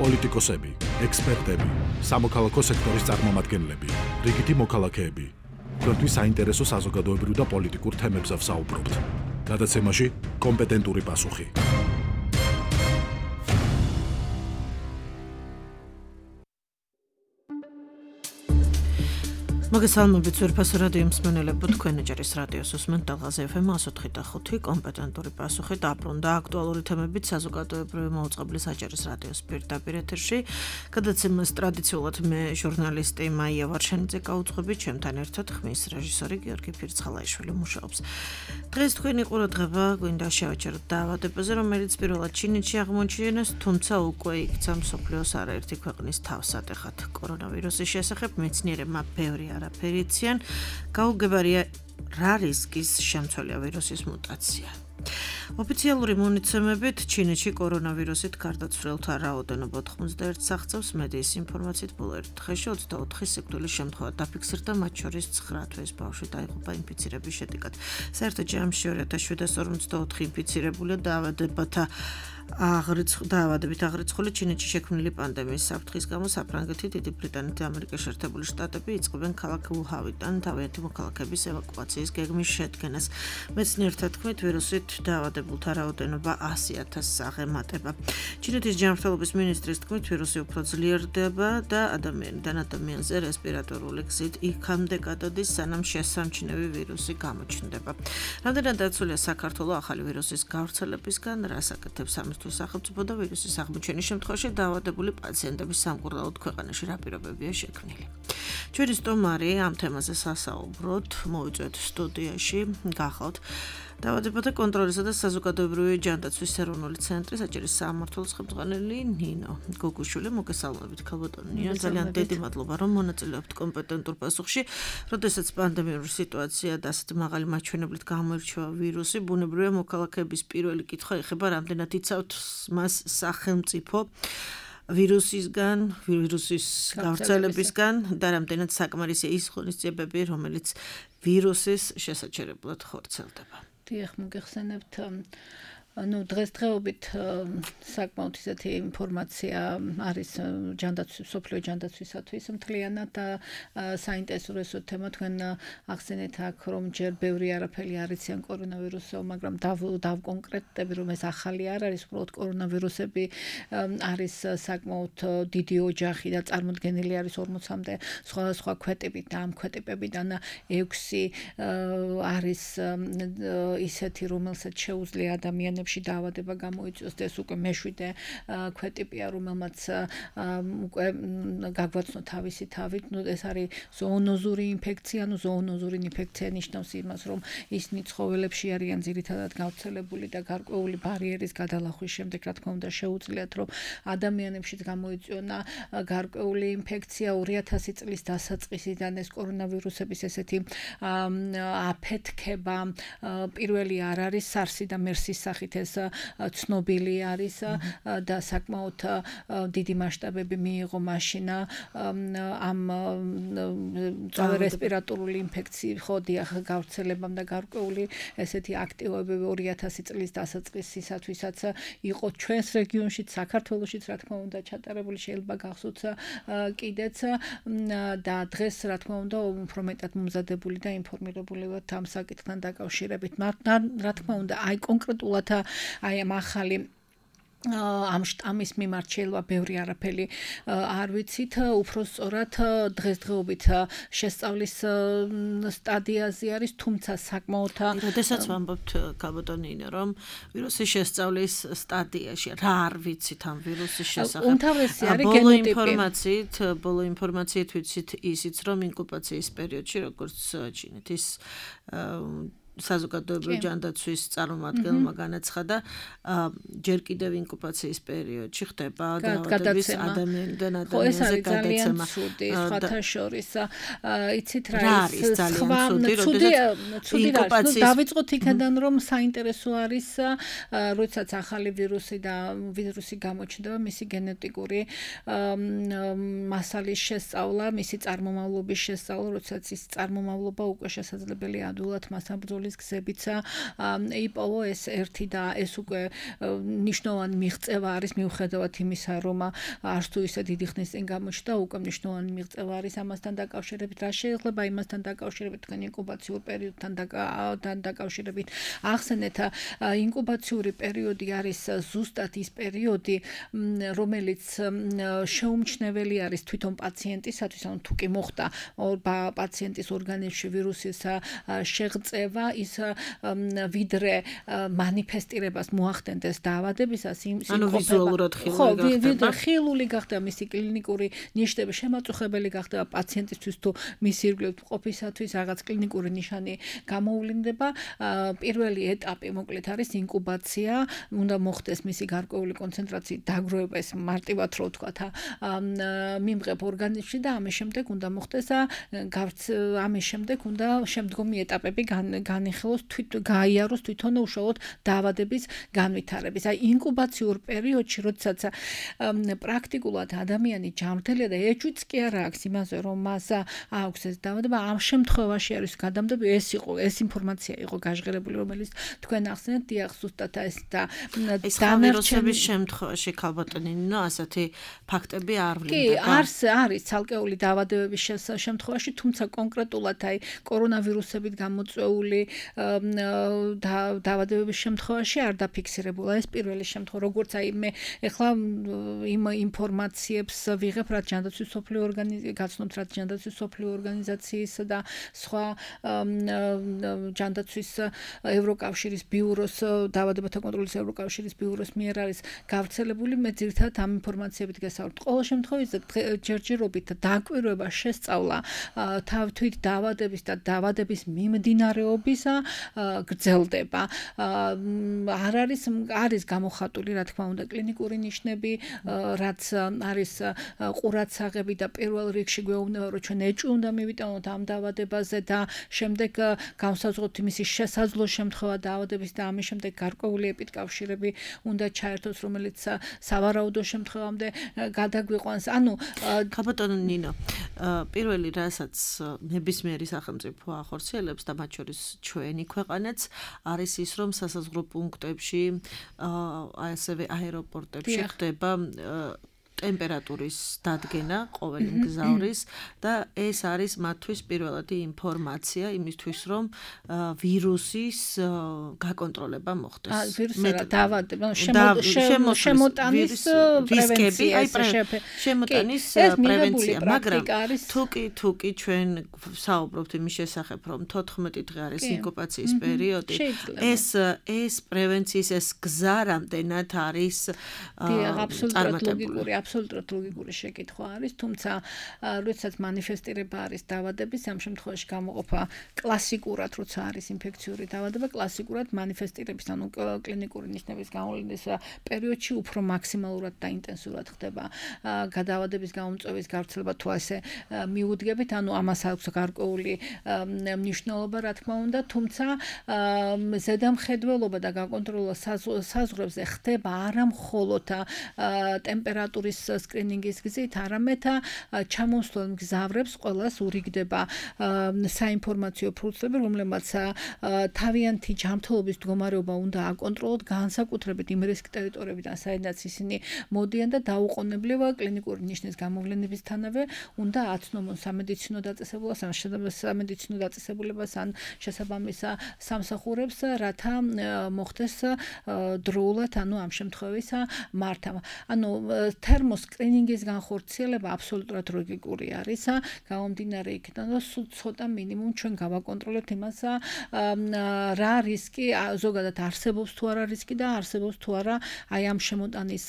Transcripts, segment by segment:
პოლიტიკოსები, ექსპერტები, სამოქალაქო სექტორის წარმომადგენლები, რიგითი მოქალაქეები. Თქვენთვის საინტერესო საზოგადოებრივ და პოლიტიკურ თემებზე ვსაუბრობთ. გადაცემაში კომპეტენტური პასუხი. მოგესალმებით ძვირფასო რადიო მსმენელებო, თქვენ ეჯერის რადიოს უსმენთ დალღაზე FM 104.5 კომპეტენტური პასუხი დაბრუნდა აქტუალური თემებით საზოგადოებრივი მოუწყებლის აჭარის რადიოს პირდაპირ ეთერში. გადაცემას ტრადიციულად მე ჟურნალისტი მაია ვარშანიძე გაუძღვები, ჩემთან ერთად ხმის რეჟისორი გიორგი ფირცხალაიშვილი მუშაობს. დღეს თქვენი ყურადღება გვინდა შევაჩეროთ დაავადებაზე, რომელიც პირველად ჩინეთში აღმოჩინეს, თუმცა უკვე იქცა მსოფლიოს არაერთი ქვეყნის თავსატეხად. კორონავირუსის შესახებ მეცნიერებმა ბევრი არაფერი იციან, გაუგებარია რა რისკის შემცველია ვირუსის მუტაცია. ოფიციალური მონაცემებით ჩინეთში კორონავირუსით გარდაცვლილთა რაოდენობა 91 აღწევს, მედიის ინფორმაციით ბოლო ერთ დღეში 24 სიკვდილის შემთხვევა დაფიქსირდა, მათ შორის 9 თვეს ბავშვი დაიღუპა ინფიცირების შედეგად. საერთო ჯამში 2754 ინფიცირებულია დაავადებით აღრიცხული ჩინეთში შექმნილი პანდემიის საფრთხის გამო საფრანგეთი, დიდი ბრიტანეთი და ამერიკის შეერთებული შტატები იწყებენ ქალაქ უჰანიდან თავიანთი მოქალაქეების ევაკუაციის გეგმის შედგენას. მეცნიერთა თქმით, ვირუსით დაავადებულთა რაოდენობა 100,000-ს აღემატება. ჩინეთის ჯანმრთელობის მინისტრის თქმით, ვირუსი უფრო ძლიერდება და ადამიანიდან ადამიანზე რესპირატორული გზით იქამდე გადადის, სანამ შესამჩნევი ვირუსი გამოჩნდება. რამდენად დაცულია საქართველო ახალი ვირუსის გავრცელებისგან, რას აკეთებს სახელმწიფო და ვირუსის აღმოჩენის შემთხვევაში დაავადებული პაციენტების სამკურნალოდ ქვეყანაში რა პირობებია შექმნილი. ჩვენი სტუმარი ამ თემაზე სასაუბროთ მოვიწვევთ სტუდიაში, გახავთ დაავადებათა კონტროლისა და საზოგადოებრივი ჯანდაცვის ეროვნული ცენტრის აჭარის სამმართველოს ხელმძღვანელი ნინო გოგუშვილი. მოგესალმებით ქალბატონო ნინო, ძალიან დიდი მადლობა რომ მონაწილეობთ კომპეტენტურ პასუხში. როდესაც პანდემიური სიტუაცია და ასეთი მაღალი მაჩვენებლით გამოირჩევა ვირუსი, ბუნებრივია მოქალაქეების პირველი კითხვა ეხება, რამდენად იცავთ მას სახელმწიფო ვირუსისგან, ვირუსის გავრცელებისგან და რამდენად საკმარისია ის ღონისძიებები, რომელიც ვირუსის შესაჩერებლად ხორციელდება. დიახ, მოგეხსენებთ დღესდღეობით საკმაოდ ისეთი ინფორმაცია არის სოფლიო ჯანდაცვისათვის მთლიანად და საინტერესო თემა. თქვენ ახსენეთ აქ, რომ ჯერ ბევრი არაფერი არ იციან კორონავირუსზე, მაგრამ დავკონკრეტდები, რომ ეს ახალი არ არის, უბრალოდ კორონავირუსები არის საკმაოდ დიდი ოჯახი და წარმოდგენილი არის 40-მდე სხვადასხვა ქვეტებით და ამ ქვეტებიდან 6 არის ისეთი, რომელსაც შეუძლია ადამიანებს დაავადება გამოიწვიოს და ეს უკვე მე-7 ქვეტიპია, რომელმაც უკვე გაგვაცნო თავისი თავით. ეს არის ზოონოზური ინფექცია. ზოონოზური ინფექცია ნიშნავს იმას, რომ ისინი ცხოველებში არიან ძირითადად გავრცელებული და გარკვეული ბარიერის გადალახვის შემდეგ, რა თქმა უნდა, შეუძლიათ, რომ ადამიანებშიც გამოიწვიონ გარკვეული ინფექცია. 2000 წლის დასაწყისიდან ეს კორონავირუსების ესეთი აფეთქება პირველი არ არის SARS-ი და MERS-ის სახით ეს ცნობილი არის და საკმაოდ დიდი მასშტაბები მიიღო მაშინ ამ რესპირატორული ინფექციის გავრცელებამ და გარკვეული ესეთი აქტივობები 2000 წლის დასაწყისისათვისაც იყო ჩვენს რეგიონშიც, საქართველოშიც, რა თქმა უნდა, ჩატარებული, შეიძლება გახსოვთ კიდეც და დღეს, რა თქმა უნდა, უფრო მეტად მომზადებული და ინფორმირებული ვართ ამ საკითხთან დაკავშირებით. რა თქმა უნდა, აი კონკრეტულად აი ამ ახალი ამ შტამის მიმართ შეიძლება ბევრი არაფერი არ ვიცით, უფრო სწორად დღესდღეობით შესწავლის სტადიაზე არის, თუმცა საკმაოდ როდესაც ვამბობთ ქალბატონო ნინო, რომ ვირუსის შესწავლის სტადიაში რა არ ვიცით ამ ვირუსის შესახებ. უმთავრესი არის გენოტიპი. ბოლო ინფორმაციით ვიცით ისიც, რომ ინკუბაციის პერიოდში, როგორც ჩინეთის საზოგადოებრივი ჯანდაცვის წარმომადგენელმა განაცხადა, ჯერ კიდევ ინკუბაციის პერიოდში ხდება დაავადების ადამიანიდან ადამიანზე გადაცემა. სხვათა შორის იცით რა არის ცუდი დავიწყოთ იქიდან, რომ საინტერესო არის, როდესაც ახალი ვირუსი გამოჩნდება, მისი გენეტიკური მასალის შესწავლა, მისი წარმომავლობის შესწავლა, როდესაც ის წარმომავლობა უკვე შესაძლებელია ადვილად მასაბრძოლის ეს გზებიცა იპოვო ეს ერთი და ეს უკვე ნიშნავენ მიღწევა არის მიუხედავად იმისა რომ არც თუ ისე დიდი ხნის წინ გამოჩნდა უკვე ნიშნავენ მიღწევა არის ამასთან დაკავშირებით რა შეიძლება იმასთან დაკავშირებით თქვენ ინკუბაციურ პერიოდთან დაკავშირებით ახსენეთ ინკუბაციური პერიოდი არის ზუსტად ის პერიოდი რომელიც შეუმჩნეველი არის თვითონ პაციენტისათვის ანუ თუ კი მოხდა პაციენტის ორგანიზმში ვირუსის შეღწევა ის ვიდრე მანიფესტირებას მოახდენდეს დაავადებისას ანუ ვიზუალურად ხილული გახდა მისი კლინიკური ნიშნები შემაწუხებელი გახდა პაციენტისთვის თუ მისი ირგვლივ ყოფისათვის რაღაც კლინიკური ნიშანი გამოვლინდება პირველი ეტაპი მოკლედ არის ინკუბაცია უნდა მოხდეს მისი გარკვეული კონცენტრაციის დაგროვება ეს მარტივად რო ვთქვა მიმღებ ორგანიზმში და ამის შემდეგ უნდა მოხდეს ამის შემდეგ უნდა შემდგომი ეტაპები განიხილოს გაიაროს თვითონ უშუალოდ დაავადების განვითარების აი ინკუბაციურ პერიოდში როდესაც პრაქტიკულად ადამიანი ჯანმრთელია და ეჭვიც კი არ აქვს იმაზე რომ მას აქვს ეს დაავადება ამ შემთხვევაში არის გადამდები ეს ინფორმაცია იყო გაჟღერებული რომელიც თქვენ ახსენეთ დიახ ზუსტად ეს და დანარჩენების შემთხვევაში ქალბატონინო ასეთი ფაქტები არ ვლინდება კი არის ცალკეული დაავადებების შემთხვევაში თუმცა კონკრეტულად აი კორონავირუსებით გამოწვეული დაავადებების შემთხვევაში არ დაფიქსირებულა ეს პირველი შემთხვევა როგორც აი მე ეხლა იმ ინფორმაციებს ვიღებ რაც ჯანდაცვის სოფლიო გაცნობთ რაც ჯანდაცვის სოფლიო ორგანიზაციის და სხვა ჯანდაცვის ევროკავშირის ბიუროს დაავადებათა კონტროლის ევროკავშირის ბიუროს მიერ არის გავრცელებული მე ძირითადად ამ ინფორმაციებით გესაუბრებ ყოველ შემთხვევაში ჯერჯერობით დაკვირვება შესწავლა თავთვით დაავადების და დაავადების მიმდინარეობისა გრძელდება არ არის გამოხატული რა თქმა უნდა კლინიკური ნიშნები რაც არის ყურადსაღები და პირველ რიგში გვეუბნება რომ ჩვენ ეჭვი უნდა მივიტანოთ ამ დაავადებაზე და შემდეგ განსაზღვროთ იმისი შესაძლო შემთხვევა დაავადების და ამის შემდეგ გარკვეული ეპიდკავშირები უნდა ჩაერთოს რომელიც სავარაუდო შემთხვევამდე გადაგვიყვანს ანუ ქალბატონო ნინო პირველი რასაც ნებისმიერი სახელმწიფო ახორციელებს და მათ შორის ჩვენი ქვეყანაც არის ის რომ სასაზღვრო პუნქტებში ასევე აეროპორტებში ხდება ტემპერატურის დადგენა ყოველი მგზავრის და ეს არის მათთვის პირველადი ინფორმაცია იმისთვის რომ ვირუსის გაკონტროლება მოხდეს. დაავადება, შემოტანის რისკები, შემოტანის პრევენცია, მაგრამ თუკი ჩვენ საუბრობთ იმის შესახებ რომ 14 დღე არის ინკუბაციის პერიოდი, ეს პრევენციის ეს გზა რამდენად არის წარმატებული. აბსოლუტურად ლოგიკური შეკითხვა არის, თუმცა როდესაც მანიფესტირება არის დაავადების, ამ შემთხვევაში გამოყოფა კლასიკურად, როცა არის ინფექციური დაავადება, კლასიკურად მანიფესტირების, ანუ კლინიკური ნიშნების გამოვლენის პერიოდში უფრო მაქსიმალურად და ინტენსიურად ხდება გადაავადების გამომწვევის გავრცელება, თუ ასე მიუდგებით, ანუ ამას აქვს გარკვეული მნიშვნელობა, რა თქმა უნდა, თუმცა ზედამხედველობა და გაკონტროლება საზღვრებზე ხდება არა მხოლოდ ტემპერატურის სკრინინგის გზით, არამედ ჩამოსვლელ მგზავრებს ყველას ურიგდება საინფორმაციო ფურცლები, რომლებმაც თავიანთი ჯანმრთელობის მდგომარეობა უნდა აკონტროლოთ, განსაკუთრებით იმ რისკ ტერიტორიებიდან, საიდანაც ისინი მოდიან და დაუყოვნებლივ კლინიკური ნიშნის გამოვლენებისთანავე უნდა აცნობონ სამედიცინო დაწესებულებას ან შესაბამის სამსახურებს, რათა მოხდეს დროულად, ანუ ამ შემთხვევაში მართავ. ანუ თერმოსკრინინგის განხორციელება აბსოლუტურად ლოგიკური არის, გამომდინარე იქიდან, რომ სულ ცოტა მინიმუმ ჩვენ გავაკონტროლებთ იმას, რა რისკი ზოგადად არსებობს თუ არა რისკი და არსებობს თუ არა აი ამ შემოტანის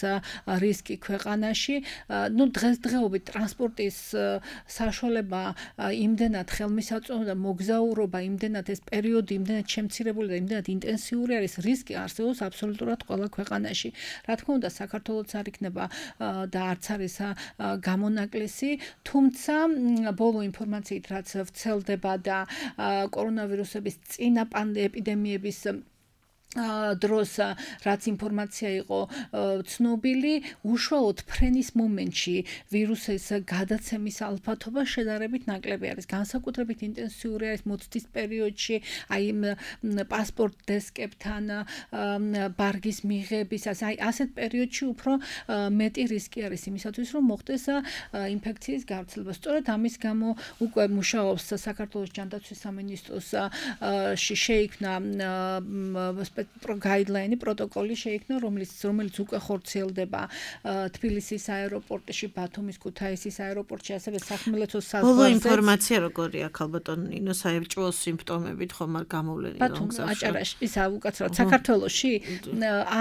რისკი ქვეყანაში. ნუ დღესდღეობით ტრანსპორტის საშუალება იმდენად ხელმისაწვდომი და მოგზაურობა იმდენად ეს პერიოდი იმდენად შემცირებული და იმდენად ინტენსიური არის, რისკი არსებობს აბსოლუტურად ყველა ქვეყანაში. რა თქმა უნდა, საქართველოც არ იქნება და არც არის გამონაკლისი, თუმცა ბოლო ინფორმაციით რაც ვრცელდება და კორონავირუსების წინა ეპიდემიების დროს რაც ინფორმაცია იყო ცნობილი, უშუალოდ ფრენის მომენტში ვირუსის გადაცემის ალფათობა შედარებით ნაკლები არის. განსაკუთრებით ინტენსიური არის მოცდის პერიოდში, აი პასპორტ დესკებთან ბარგის მიღების, აი ასეთ პერიოდში უფრო მეტი რისკი არის იმისათვის, რომ მოხდეს ინფექციის გავრცელება. სწორედ ამის გამო უკვე მუშაობს საქართველოს ჯანდაცვის სამინისტროს შეიქმნა guideline პროტოკოლი შეიქმნა, რომელიც უკვე ხორციელდება თბილისის აეროპორტში, ბათუმის, ქუთაისის აეროპორტში, ასევე სახმელეთო საზღვარზე. ბოლო ინფორმაცია როგორია, ალბათ ნინო საერთო სიმპტომებით ხომ არ გამოვლენილი ბათუმ აჭარაში, ისა უკაცრავად საქართველოში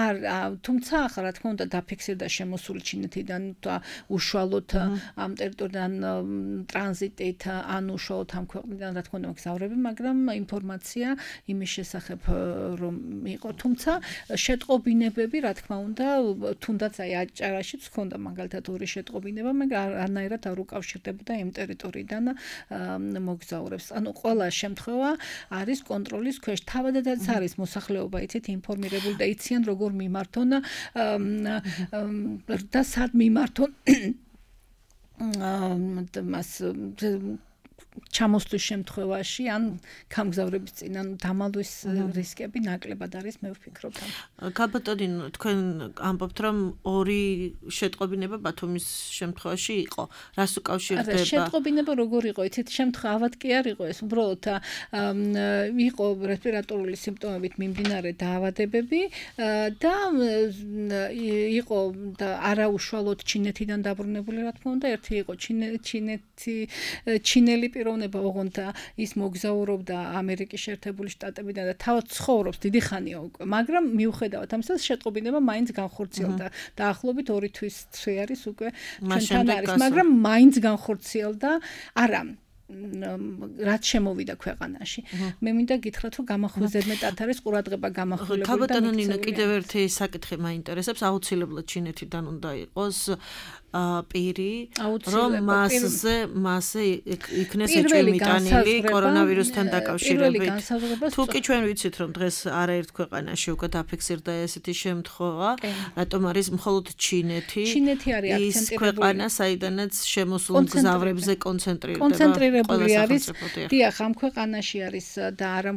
არ, თუმცა ახლა რა თქმა უნდა დაფიქსირდა შემოსული ჩინეთიდან უშუალოდ ამ ტერიტორიიდან ტრანზიტით ან უშუალოდ ამ ქვეყნიდან რა თქმა უნდა მგზავრები, მაგრამ ინფორმაცია იმის შესახებ რომ იყო, თუმცა შეტყობინებები, რა თქმა უნდა, თუნდაც აი აჭარაშიც ჰქონდა მაგალითად ორი შეტყობინება, მაგრამ არანაირად არ უკავშირდებოდა იმ ტერიტორიიდან მოგზაურებს. ანუ ყველა შემთხვევა არის კონტროლის ქვეშ. თავადაც არის მოსახლეობა, იცით, ინფორმირებული და იციან როგორ მიმართონ და სად მიმართონ მას ჩამოსვლის შემთხვევაში ან გამგზავრების წინ ან დამალვის რისკები ნაკლებად არის, მე ვფიქრობ. ქალბატონი, თქვენ ამბობთ, რომ ორი შეტყობინება ბათუმის შემთხვევაში იყო. რას უკავშირდება? შეტყობინება როგორ იყო? იცით, შემთხვევა ავად კი არ იყო ეს, უბრალოდ იყო რესპირატორული სიმპტომებით მიმდინარე დაავადებები და იყო და არაუშუალოდ ჩინეთიდან დაბრუნებული, რა თქმა უნდა, ერთი იყო ჩინელი პიროვნება, ოღონდ ის მოგზაურობდა ამერიკის შეერთებული შტატებიდან და თავად ცხოვრობს დიდი ხანია უკვე, მაგრამ მიუხედავად ამისა შეტყობინება მაინც განხორციელდა. დაახლოებით 2 თვის არის უკვე ჩვენთან არის, მაგრამ მაინც განხორციელდა, არა რაც შემოვიდა ქვეყანაში. მე მინდა გითხრათ, რომ გამახვეზე მეტად არის ყურადღება გამახვილებული. ქალბატონი, კიდევ ერთი საკითხი მაინტერესებს, აუცილებლად ჩინეთიდან უნდა იყოს პირი, რომ მასზე იქნეს ეჭვმიტანილი კორონავირუსთან დაკავშირებით. თუ კი ჩვენ ვიცით, რომ დღეს არაერთ ქვეყანაში უკვე დაფიქსირდა ესეთი შემთხვევა, რატომ არის მხოლოდ ჩინეთი არის ის ქვეყანა, საიდანაც შემოსულ მგზავრებზე კონცენტრირებული არის. დიახ, ამ ქვეყანაში არის და არა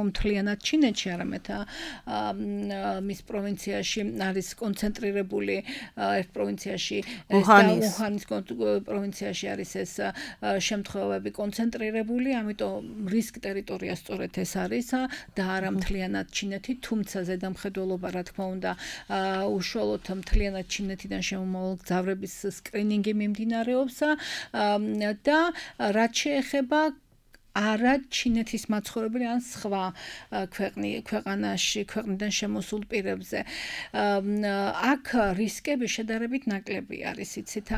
მთლიანად ჩინეთში, არამედ მის პროვინციაში არის კონცენტრირებული ერთ პროვინციაში უჰანის პროვინციაში არის ეს შემთხვევები კონცენტრირებული, ამიტომ რისკ ტერიტორია სწორედ ეს არის და არა მთლიანად ჩინეთი, თუმცა ზედამხედველობა, რა თქმა უნდა, უშუალოდ მთლიანად ჩინეთიდან შემომავალ მგზავრების სკრინინგი მიმდინარეობს და რაც შეეხება არა ჩინეთის მაცხოვრებელი ან სხვა ქვეყნიდან შემოსულ პირებზე. აქ რისკები შედარებით ნაკლები არის, იცით,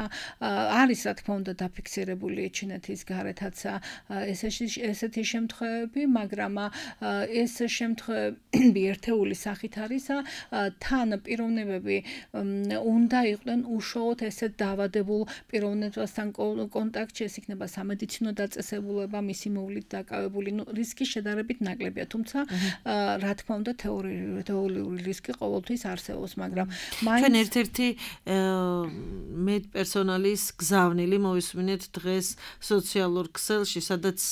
არის რა თქმა უნდა დაფიქსირებული ჩინეთის გარეთაც ესეთი შემთხვევები, მაგრამ ეს შემთხვევები ერთეული სახით არის, თან პიროვნებები უნდა იყვნენ უშუალოდ ესეთ დაავადებულ პიროვნებასთან კონტაქტში, ეს იქნება სამედიცინო დაწესებულება, მისი დაკავებული, რისკი შედარებით ნაკლებია, თუმცა რა თქმა უნდა თეორიული რისკი ყოველთვის არსებობს, მაგრამ ჩვენ ერთ-ერთი მედპერსონალის გზავნილი მოვისმინეთ დღეს სოციალურ ქსელში, სადაც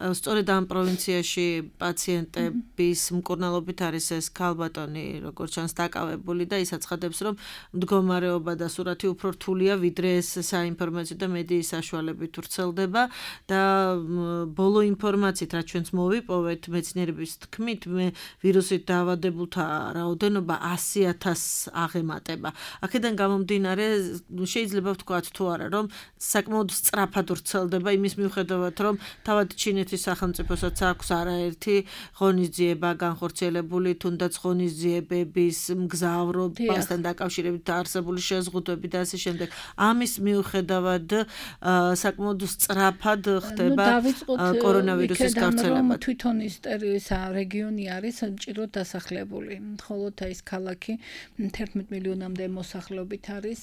სწორედ ამ პროვინციაში პაციენტების მკურნალობით არის ეს ქალბატონი, როგორც ჩანს, დაკავებული და ის აცხადებს, რომ მდგომარეობა და სურათი უფრო რთულია, ვიდრე ეს საინფორმაციო და მედიის საშუალებით ვრცელდება და ბოლო ინფორმაციით, რაც ჩვენც მოვიპოვეთ მეცნიერების თქმით, ვირუსით დაავადებულთა რაოდენობა 100,000 აღემატება. აქედან გამომდინარე, შეიძლება ვთქვათ თუ არა, რომ საკმაოდ სწრაფად ვრცელდება იმის მიუხედავად, რომ თავად ჩინეთის სახელმწიფოსაც აქვს არაერთი ღონისძიება განხორციელებული, თუნდაც ღონისძიებების მგზავრობასთან დაკავშირებით არსებული შეზღუდვები და ასე შემდეგ. ამის მიუხედავად საკმაოდ სწრაფად ხდება კორონავირუსის გავრცელება. თვითონ ის რეგიონი არის მჭიდროდ დასახლებული. მხოლოდ ის ქალაქი 11 მილიონამდე მოსახლეობით არის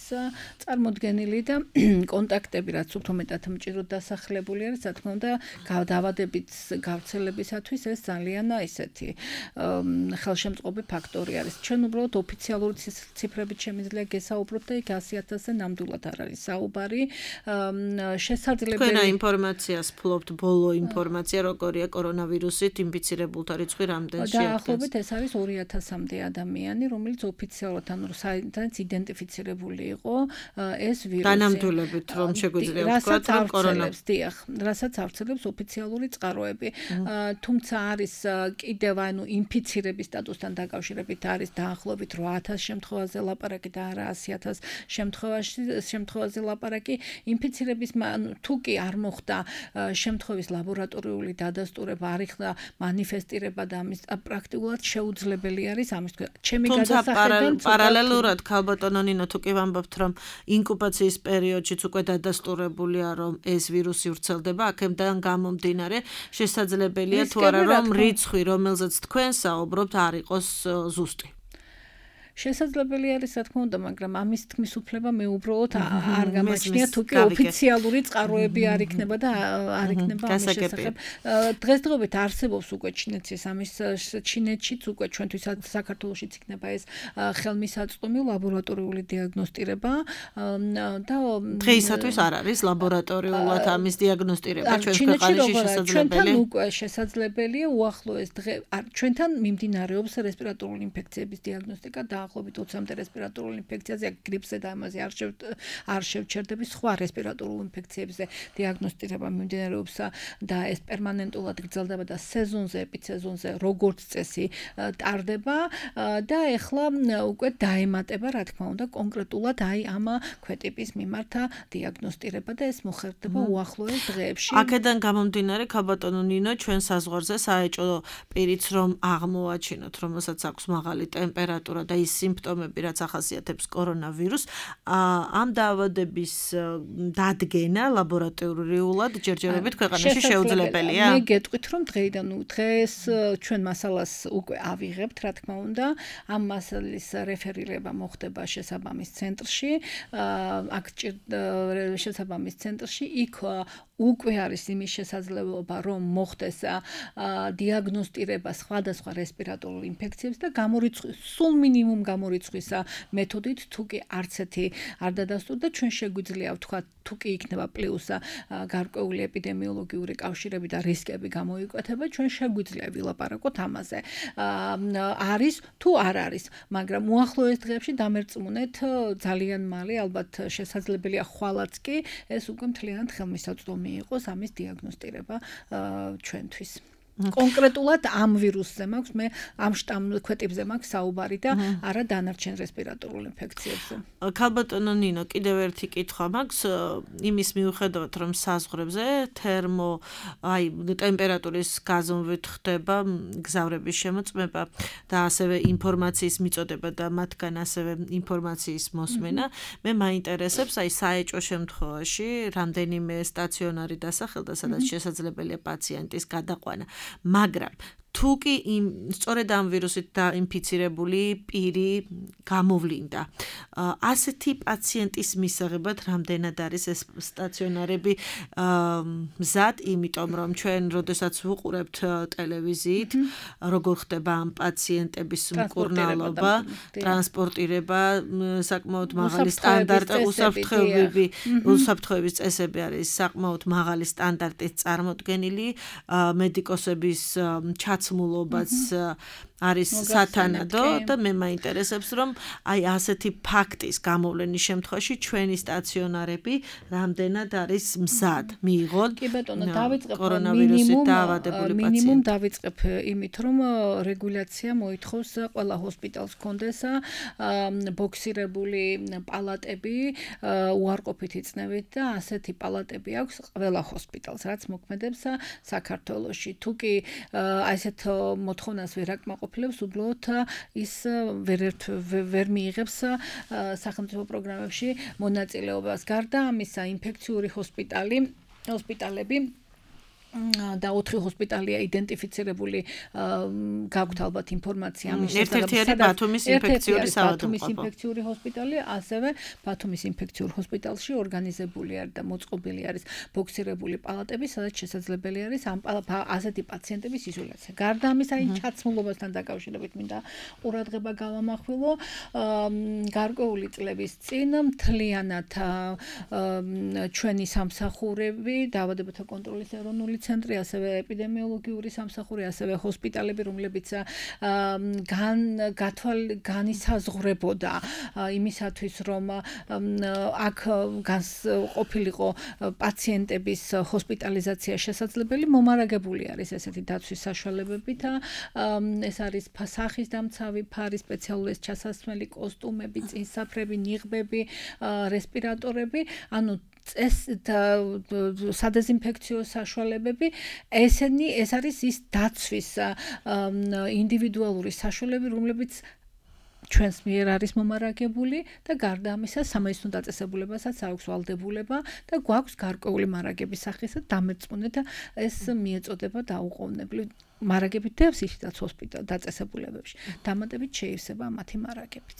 წარმოდგენილი და კონტაქტები, რაც უფრო მეტად მჭიდროდ დასახლებული არის, რა თქმა უნდა, დაავადებით გავრცელებისათვის ეს ძალიან ისეთი ხელშემწყობი ფაქტორი არის. ჩვენ უბრალოდ ოფიციალური ციფრებით შემიძლია გესაუბროთ და იქ 100,000-ზე ნამდვილად არ არის საუბარი. შესაძლებელი თქვენ ინფორმაციას ფლობთ, ბოლო ინფორმაცია როგორია კორონავირუსით ინფიცირებულთა რიცხვი რამდენში აღდგენს? დაახლოებით ეს არის 2,000-მდე ადამიანი, რომელიც ოფიციალურად სადაც იდენტიფიცირებული იყო ეს ვირუსი. განამდვილებით რომ შეგვიძლია ვთქვათ, რომ კორონავირუსი დიახ, რასაც ავრცელებს ოფიციალური წყაროები. თუმცა არის კიდევ ინფიცირების სტატუსთან დაკავშირებით არის დაახლოებით 8,000 შემთხვევაზე ლაპარაკი და არა 100,000 შემთხვევაზე ლაპარაკი. ინფიცირების თუ კი არ მოხდა შემთხვევის ლაბორატორიული დადასტურება, არ იქნა მანიფესტირება და ამის პრაქტიკულად შეუძლებელი არის ამის თქვა. ჩემი გადასახედიდან პარალელურად ქალბატონო ნინო თუ კი ვამბობთ რომ ინკუბაციის პერიოდშიც უკვე დადასტურებულია რომ ეს ვირუსი ვრცელდება, აქედან გამომდინარე შესაძლებელია თუ არა რომ რიცხვი რომელზეც თქვენ საუბრობთ არ იყოს ზუსტი. შესაძლებელი არის რა თქმა უნდა, მაგრამ ამის თქმის უფლება მე უბრალოდ არ გამაჩნია თუ კი ოფიციალური წყაროები არ იქნება და არ იქნება ამის შესახებ. დღესდღეობით არსებობს უკვე ჩინეთის ამის ჩინეთშიც უკვე ჩვენთვის საქართველოშიც იქნება ეს ხელმისაწვდომი ლაბორატორიული დიაგნოსტირება და დღეისათვის არ არის ლაბორატორიულად ამის დიაგნოსტირება ჩვენს ქვეყანაში შესაძლებელი. ჩვენთან უკვე შესაძლებელია უახლოეს დღე ჩვენთან მიმდინარეობს რესპირატორული ინფექციების დიაგნოსტიკა და დაახლოებით 20-მდე რესპირატორულ ინფექციაზე, გრიპზე და ამაზე არ შევჩერდები, სხვა რესპირატორულ ინფექციებზე დიაგნოსტირება მიმდინარეობს და ეს პერმანენტულად გრძელდება და სეზონზე, ეპისეზონზე როგორც წესი ტარდება და ეხლა უკვე დაემატება, რა თქმა უნდა, კონკრეტულად ამ ქვეტიპის მიმართ დიაგნოსტირება და ეს მოხერხდება უახლოეს დღეებში. აქედან გამომდინარე, ქალბატონო ნინო, ჩვენ საზღვარზე საეჭვო პირიც რომ აღმოაჩინოთ, რომელსაც აქვს მაღალი ტემპერატურა და ის სიმპტომები, რაც ახასიათებს კორონავირუსს, ამ დაავადების დადგენა ლაბორატორიულად ჯერჯერობით ქვეყანაში შეუძლებელია? მე გეტყვით, რომ დღეს ჩვენ მასალას უკვე ავიღებთ, რა თქმა უნდა, ამ მასალის რეფერირება მოხდება შესაბამის ცენტრში, აქ შესაბამის ცენტრში იქ უკვე არის იმის შესაძლებლობა, რომ მოხდეს დიაგნოსტირება სხვადასხვა რესპირატორულ ინფექციებს და სულ მინიმუმ გამორიცხვის მეთოდით, თუ კი არც ერთი არ დადასტურდა, ჩვენ შეგვიძლია ვთქვათ, თუ კი იქნება პლუს გარკვეული ეპიდემიოლოგიური კავშირები და რისკები გამოიკვეთება, ჩვენ შეგვიძლია ვილაპარაკოთ ამაზე. არის თუ არ არის, მაგრამ უახლოეს დღეებში დამერწმუნეთ ძალიან მალე, ალბათ შესაძლებელია ხვალაც კი ეს უკვე მთლიანად ხელმისაწვდომი იყოს ამის დიაგნოსტირება ჩვენთვის. კონკრეტულად ამ ვირუსზე მაქვს მე ამ შტამ ქვეტიპზე მაქვს საუბარი და არა დანარჩენ რესპირატორულ ინფექციებზე. ქალბატონო ნინო, კიდევ ერთი კითხვა მაქვს იმის მიუხედავად რომ საზღვრებზე ტემპერატურის გაზომვით ხდება გზავრების შემოწმება და ასევე ინფორმაციის მიწოდება და მათგან ასევე ინფორმაციის მოსმენა, მე მაინტერესებს საეჭვო შემთხვევაში რამდენიმე სტაციონარი დასახელდა, სადაც შესაძლებელია პაციენტის გადაყვანა. მაგრამ თუ კი სწორედ ამ ვირუსით დაინფიცირებული პირი გამოვლინდა, ასეთი პაციენტის მისაღებად რამდენად არის ეს სტაციონარები მზად, იმიტომ რომ ჩვენ როდესაც ვუყურებთ ტელევიზიით, როგორ ხდება ამ პაციენტების მკურნალობა, ტრანსპორტირება, საკმაოდ მაღალი სტანდარტი, უსაფრთხოების წესები არის საკმაოდ მაღალი სტანდარტით წარმოდგენილი, მედიკოსების ჩაცმულობაც არის სათანადო და მე მაინტერესებს რომ ასეთი ფაქტის გამოვლენის შემთხვევაში ჩვენი სტაციონარები რამდენად არის მზად მიიღონ კორონავირუსით დაავადებული პაციენტი. მინიმუმ დავიწყებ იმით რომ რეგულაცია მოითხოვს ყველა ჰოსპიტალს კონდეს ბოქსირებული პალატები უარყოფითი წნევით და ასეთი პალატები აქვს ყველა ჰოსპიტალს, რაც მოქმედებს საქართველოში. თუ კი ასეთ მოთხოვნას ვერ აკმაყოფილებს, უბრალოდ ის ვერ მიიღებს სახელმწიფო პროგრამებში მონაწილეობას. გარდა ამისა, ინფექციური ჰოსპიტალები და 4 ჰოსპიტალია იდენტიფიცირებული გაქვთ ალბათ ინფორმაცია ამის ერთ-ერთი არის ბათუმის ინფექციური საავადმყოფო. ინფექციური ჰოსპიტალი, ასევე ბათუმის ინფექციურ ჰოსპიტალში ორგანიზებული არის და მოწყობილი არის ბოქსირებული პალატები, სადაც შესაძლებელი არის ამ ასეთი პაციენტების იზოლაცია. გარდა ამისა, ჩაცმულობასთან დაკავშირებით მინდა ყურადღება გავამახვილო. გარკვეული წლების წინ მთლიანად ჩვენი სამსახურები, დაავადებათა კონტროლის ეროვნული ცენტრი, ასევე ეპიდემიოლოგიური სამსახური, ასევე ჰოსპიტალები, რომლებიც განისაზღვრებოდა იმისათვის, რომ აქ ყოფილიყო პაციენტების ჰოსპიტალიზაცია შესაძლებელი, მომარაგებული არის ესეთი დაცვის საშუალებებით. ეს არის სახის დამცავი ფარი, სპეციალური ჩასასმელი კოსტუმები, წინსაფრები, ნიღბები, რესპირატორები, ანუ სადეზინფექციო საშუალებები, ეს არის ის დაცვის ინდივიდუალური საშუალებები, რომლებიც ჩვენს მიერ არის მომარაგებული და გარდა ამისა სამედიცინო დაწესებულებასაც აქვს ვალდებულება და გვაქვს გარკვეული მარაგების სახისა დამერწმუნე და ეს მიეწოდება დაუყოვნებლივ მარაგებით დევს ისედაც ჰოსპიტალ დაწესებულებებში. დამატებით შეივსება მათი მარაგებიც.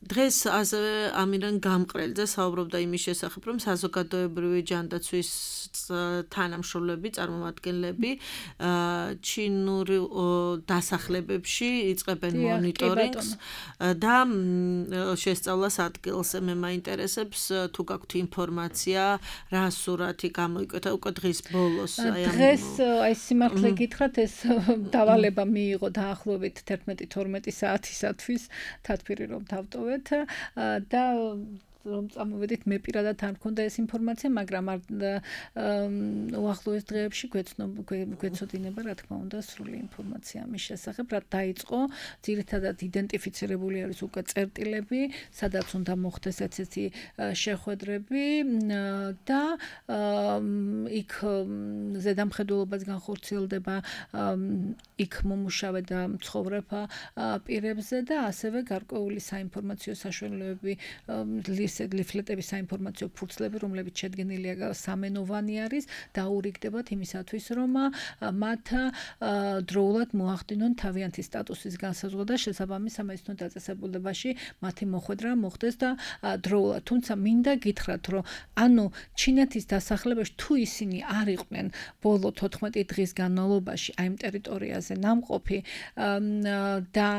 დღეს ასევე ამირან გამყრელძე საუბრობდა იმის შესახებ, რომ საზოგადოებრივი ჯანდაცვის თანამშრომლები, წარმომადგენლები ჩინური დასახლებებში იწყებენ მონიტორინგს და შესწავლას ადგილს. მე მაინტერესებს თუ გაქვთ ინფორმაცია, რა სურათი გამოიკვეთა უკვე დღის ბოლოს. დღეს აი სიმართლე გითხრათ, ეს დავალება მიიღო დაახლოებით 11-12 საათისათვის, თათბირი რომ დავტოვეთ და რომ წამოვედით მე პირადად არ მქონდა ეს ინფორმაცია, მაგრამ უახლოეს დღეებში გვეცოდინება, რა თქმა უნდა, სრული ინფორმაცია ამის შესახებ, რა დაიწყო, ძირითადად იდენტიფიცირებული არის უკვე წერტილები, სადაც უნდა მოხდეს ესეთი შეხვედრები და იქ ზედამხედველობაც განხორციელდება იქ მომუშავე და მცხოვრებ პირებზე და ასევე გარკვეული საინფორმაციო საშუალებები ლიფლეტების საინფორმაციო ფურცლები, რომლებიც შედგენილია სამენოვანი არის, დაურიგდებათ იმისათვის, რომ მათ დროულად მოახდინონ თავიანთი სტატუსის განსაზღვრა და შესაბამის სამედიცინო დაწესებულებაში მათი მოხვედრა მოხდეს და დროულად. თუმცა მინდა გითხრათ, რომ ანუ ჩინეთის დასახლებაში თუ ისინი არ იყვნენ ბოლო 14 დღის განმავლობაში აი ამ ტერიტორიაზე ნამყოფი და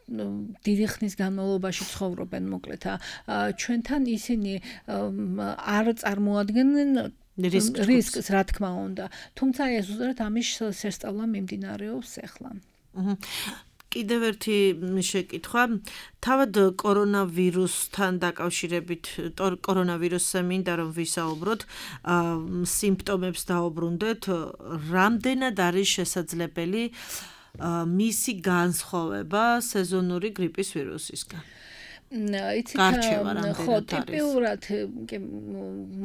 დიდი ხნის განმავლობაში ცხოვრობენ მოკლედ ჩვენთან ისინი არ წარმოადგენენ რისკს, რა თქმა უნდა. თუმცა ეს უბრალოდ ამის შესწავლა მიმდინარეობს ახლა. კიდევ ერთი შეკითხვა, თავად კორონავირუსთან დაკავშირებით, კორონავირუსზე მინდა რომ ვისაუბროთ, სიმპტომებს დაუბრუნდეთ, რამდენად არის შესაძლებელი მისი განსხვავება სეზონური გრიპის ვირუსისგან? იცით, ხო, ტიპიურად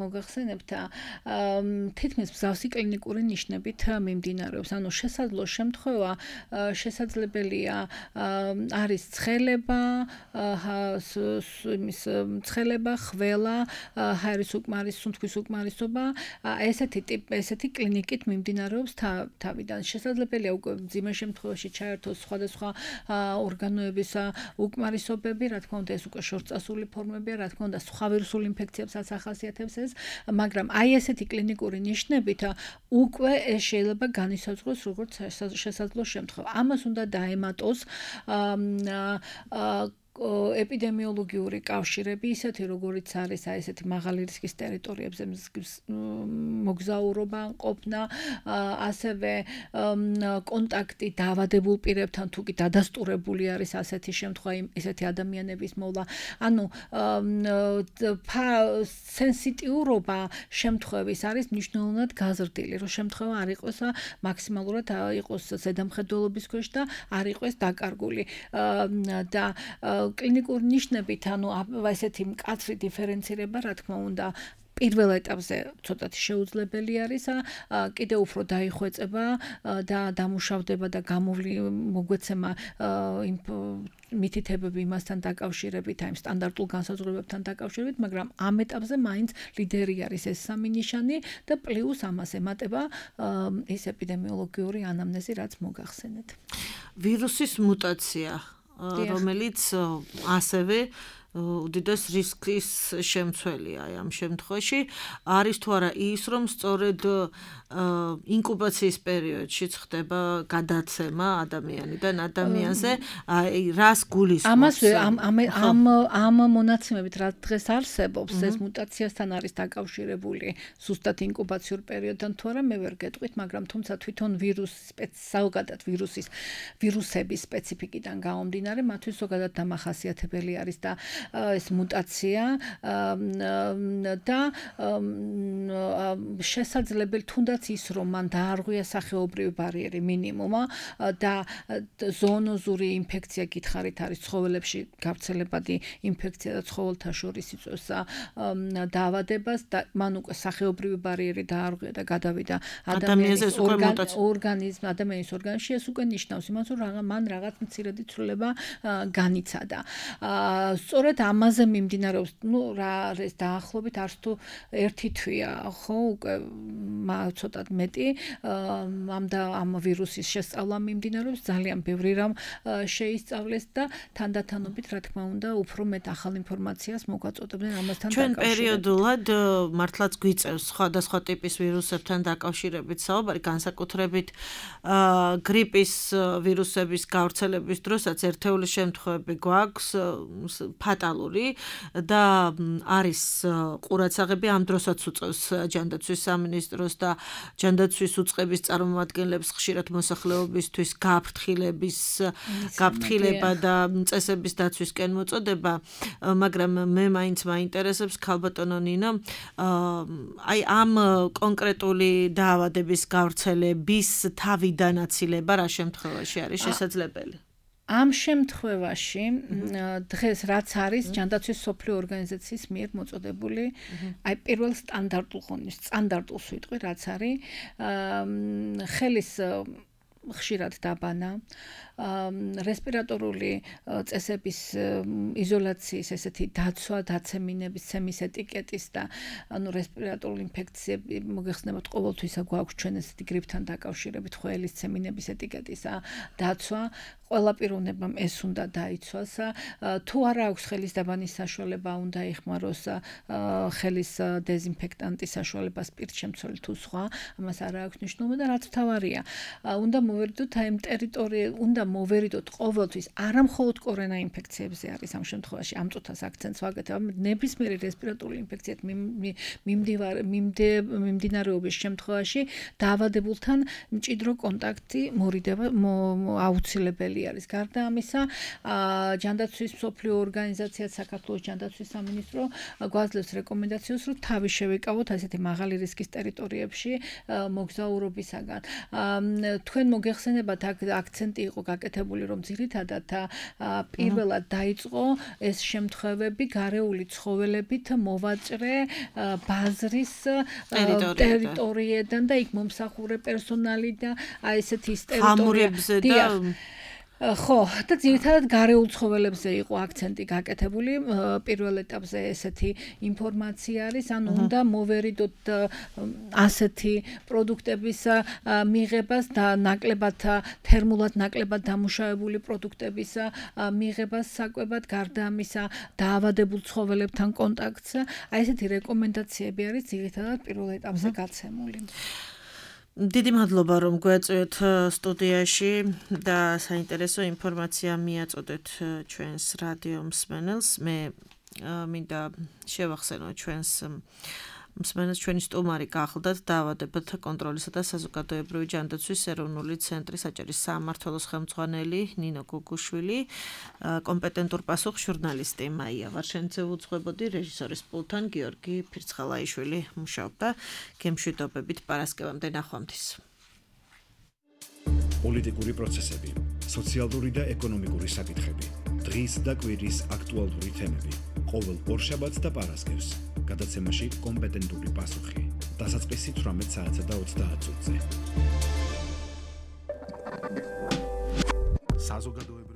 მოგახსენებთ, თითქმის მსგავსი კლინიკური ნიშნებით მიმდინარეობს. ანუ შესაძლო შემთხვევა შესაძლებელია არის ცხელება, ცხელება, ხველა, ჰაერის უკმარის, სუნთქვის უკმარისობა, ესეთი კლინიკით მიმდინარეობს თავიდან. შესაძლებელია უკვე მძიმე შემთხვევაში ჩაერთოს სხვადასხვა ორგანოების უკმარისობები, რა თქმა უნდა ეს უკვე შორწასული ფორმებია, რა თქმა უნდა, სხვა ვირუსულ ინფექციებსაც ახასიათებს ეს, მაგრამ აი ესეთი კლინიკური ნიშნებით უკვე ეს შეიძლება განისაზღვროს როგორც შესაძლო შემთხვევა. ამას უნდა დაემატოს ეპიდემიოლოგიური კავშირები, ისეთი როგორიც არის აი ესეთი მაღალი რისკის ტერიტორიებზე მოგზაურობა, ყოფნა, ასევე კონტაქტი დაავადებულ პირებთან, თუ კი დადასტურებული არის ასეთი შემთხვევა, ესეთი ადამიანების მოვლა. ანუ სენსიტიურობა შემთხვევის არის მნიშვნელოვნად გაზრდილი, რომ შემთხვევა არ იყოს მაქსიმალურად იყოს ზედამხედველობის ქვეშ და არ იყოს დაკარგული და კლინიკური ნიშნებით, ანუ ესეთი მკაცრი დიფერენცირება, რა თქმა უნდა, პირველ ეტაპზე ცოტათი შეუძლებელი არის, კიდევ უფრო დაიხვეწება და დამუშავდება და მოგვეცემა მითითებები იმასთან დაკავშირებით, აი სტანდარტულ განსაზღვრებებთან დაკავშირებით, მაგრამ ამ ეტაპზე მაინც ლიდერი არის ეს სამი ნიშანი და პლუს ამას ემატება ეს ეპიდემიოლოგიური ანამნეზი, რაც მოგახსენეთ. ვირუსის მუტაცია, რომელიც ასევე უდიდეს რისკის შემცველია ამ შემთხვევაში, არის თუ არა ის, რომ სწორედ ინკუბაციის პერიოდშიც ხდება გადაცემა ადამიანიდან ადამიანზე, აი რას გულისხმობს? ამ მონაცემებით რაც დღეს არსებობს, ეს მუტაციასთან არის დაკავშირებული ზუსტად ინკუბაციურ პერიოდთან თუ არა, მე ვერ გეტყვით, მაგრამ თუმცა თვითონ საოგადად ვირუსების სპეციფიკიდან გამომდინარე, მათთვის ზოგადად დამახასიათებელი არის და ეს მუტაცია და შესაძლებელი თუნდაც ის რომ მან დაარღვია სახეობრივი ბარიერი მინიმუმა და ზოონოზური ინფექცია გითხარით არის ცხოველებში გავრცელებადი ინფექცია და ცხოველთა შორის იწვევს დაავადებას და მან უკვე სახეობრივი ბარიერი დაარღვია და გადავიდა ადამიანის ორგანიზმში ეს უკვე ნიშნავს იმას რომ მან რაღაც მცირედი ცვლილება განიცადა. სწორედ ამაზე მიმდინარეობს, რა არის დაახლოებით არც თუ ერთი თვეა, ხო, უკვე ცოტად მეტი ამ ვირუსის შესწავლა მიმდინარეობს, ძალიან ბევრი რამ შეისწავლეს და თანდათანობით, რა თქმა უნდა, უფრო მეტ ახალ ინფორმაციას მოგვაწოდებდნენ ამასთან დაკავშირებით. ჩვენ პერიოდულად მართლაც გვიწევს სხვადასხვა ტიპის ვირუსებთან დაკავშირებით საუბარი, განსაკუთრებით გრიპის ვირუსების გავრცელების დროსაც ერთეული შემთხვევები გვაქვს ფატალური და არის ყურადსაღები ამ დროსაც უწევს ჯანდაცვის სამინისტროს და ჯანდაცვის უწყების წარმომადგენლებს ხშირად მოსახლეობისთვის გაფრთხილება და წესების დაცვისკენ მოწოდება, მაგრამ მე მაინც მაინტერესებს ქალბატონო ნინო, აი ამ კონკრეტული დაავადების გავრცელების თავიდან აცილება რა შემთხვევაში არის შესაძლებელი? ამ შემთხვევაში დღეს რაც არის ჯანდაცვის მსოფლიო ორგანიზაციის მიერ მოწოდებული აი პირველ სტანდარტულს ვიტყვი რაც არის ხელის ხშირად დაბანა, რესპირატორული წესების იზოლაციის ესეთი დაცვა, დაცემინების ცემის ეტიკეტის და რესპირატორული ინფექციები მოგეხსენებათ ყოველთვის გვაქვს ჩვენ ესეთი გრიპთან დაკავშირებით ხელის ცემინების ეტიკეტის დაცვა, ყველა პიროვნებამ ეს უნდა დაიცვას, თუ არა აქვს ხელის დაბანის საშუალება, უნდა იხმაროს ხელის დეზინფექტანტის საშუალება, სპირტშემცველი თუ სხვა, ამას არ აქვს მნიშვნელობა და რაც მთავარია, უნდა მოვერიდოთ აი უნდა მოვერიდოთ ყოველთვის არამხოლოდ კორონა ინფექციებზე არის ამ შემთხვევაში ამ წუთას აქცენტს ვაკეთებ, ნებისმიერი რესპირატორული ინფექციით მიმდინარეობის შემთხვევაში დაავადებულთან მჭიდრო კონტაქტი მორიდება აუცილებელი არის. გარდა ამისა, ჯანდაცვის მსოფლიო ორგანიზაცია საქართველოს ჯანდაცვის სამინისტრო გვაძლევს რეკომენდაციას, რომ თავი შევიკავოთ ასეთი მაღალი რისკის ტერიტორიებში მოგზაურობისაგან. თქვენ მოგეხსენებათ აქცენტი იყო გაკეთებული, რომ ძირითადად პირველად დაიწყო ეს შემთხვევები გარეული ცხოველებით მოვაჭრე ბაზრის ტერიტორიიდან და იქ მომსახურე პერსონალი და აი ესეთი ტერიტორიებზე და ხო, და ძირითადად გარეულ ცხოველებზე იყო აქცენტი გაკეთებული. პირველ ეტაპზე ესეთი ინფორმაცია არის, ანუ უნდა მოვერიდოთ ასეთი პროდუქტების მიღებას და თერმულად ნაკლებად დამუშავებული პროდუქტების მიღებას საკვებად, გარდა ამისა დაავადებულ ცხოველებთან კონტაქტს. აი ესეთი რეკომენდაციები არის ძირითადად პირველ ეტაპზე გაცემული. დიდი მადლობა რომ გვეწვევთ სტუდიაში და საინტერესო ინფორმაცია მიაწოდეთ ჩვენს რადიო მსმენელს. მე მინდა შევახსენო ჩვენს მსმენელს ჩვენი სტუმარი გახლდათ დაავადებათა კონტროლისა და საზოგადოებრივი ჯანდაცვის ეროვნული ცენტრის საჭირის სამმართველოს ხელმძღვანელი ნინო გუგუშვილი, კომპეტენტურ პასუხს ჟურნალისტი მაია ვარშენცე უძღვებოდი, რეჟისორის პულტთან გიორგი ფირცხალაიშვილი მუშაობდა. გემშვიდობებით პარასკევამდე ნახვამდის. პოლიტიკური პროცესები, სოციალური და ეკონომიკური საკითხები, დღის და კვირის აქტუალური თემები. ყოველ ორშაბათს და პარასკევს გადაცემაში კომპეტენტური პასუხი. დასაწყისი 18 საათსა და 30 წუთზე. საზოგადოებრივი